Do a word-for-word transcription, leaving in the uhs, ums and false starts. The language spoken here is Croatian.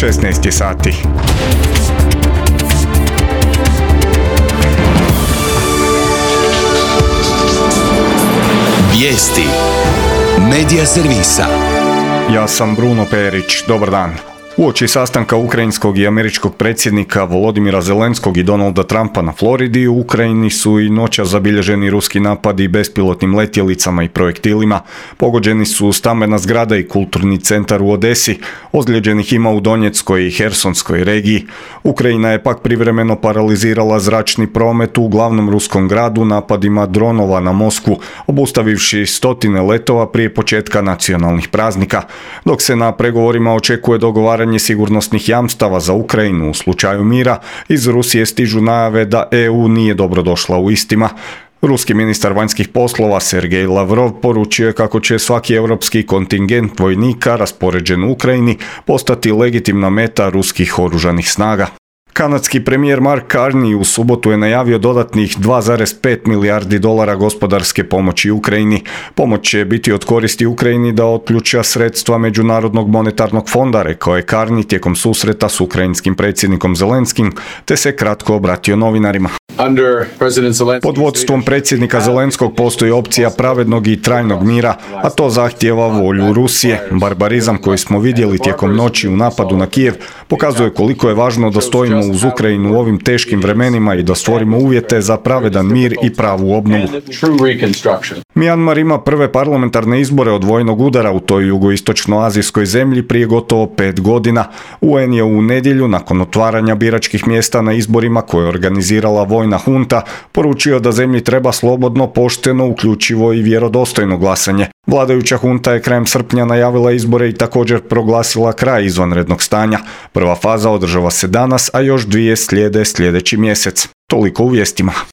šesnaest je sati. Vijesti Medija servisa. Ja sam Bruno Perić, dobar dan. Uoči sastanka ukrajinskog i američkog predsjednika Volodimira Zelenskog i Donalda Trumpa na Floridi, u Ukrajini su i noćas zabilježeni ruski napadi bespilotnim letjelicama i projektilima. Pogođeni su stambena zgrada i kulturni centar u Odesi, ozlijeđenih ima u Donjeckoj i Hersonskoj regiji. Ukrajina je pak privremeno paralizirala zračni promet u glavnom ruskom gradu napadima dronova na Moskvu, obustavivši stotine letova prije početka nacionalnih praznika, dok se na pregovorima očekuje dogovaranje sigurnosnih jamstava za Ukrajinu u slučaju mira. Iz Rusije stižu najave da E U nije dobro došla u istima. Ruski ministar vanjskih poslova Sergej Lavrov poručio je kako će svaki europski kontingent vojnika raspoređen u Ukrajini postati legitimna meta ruskih oružanih snaga. Kanadski premijer Mark Carney u subotu je najavio dodatnih dva zarez pet milijardi dolara gospodarske pomoći Ukrajini. Pomoć će biti od koristi Ukrajini da otključa sredstva Međunarodnog monetarnog fonda, rekao je Carney tijekom susreta s ukrajinskim predsjednikom Zelenskim, te se kratko obratio novinarima. Pod vodstvom predsjednika Zelenskog postoji opcija pravednog i trajnog mira, a to zahtijeva volju Rusije. Barbarizam koji smo vidjeli tijekom noći u napadu na Kijev pokazuje koliko je važno da stojimo uz Ukrajinu u ovim teškim vremenima i da stvorimo uvjete za pravedan mir i pravu obnovu. Mjanmar ima prve parlamentarne izbore od vojnog udara u toj jugoistočnoazijskoj zemlji prije gotovo pet godina. U En je u nedjelju, nakon otvaranja biračkih mjesta na izborima koje je organizirala vojna hunta, poručio da zemlji treba slobodno, pošteno, uključivo i vjerodostojno glasanje. Vladajuća hunta je krajem srpnja najavila izbore i također proglasila kraj izvanrednog stanja. Prva faza održava se danas, a još dvije slijede sljedeći mjesec. Toliko u vijestima.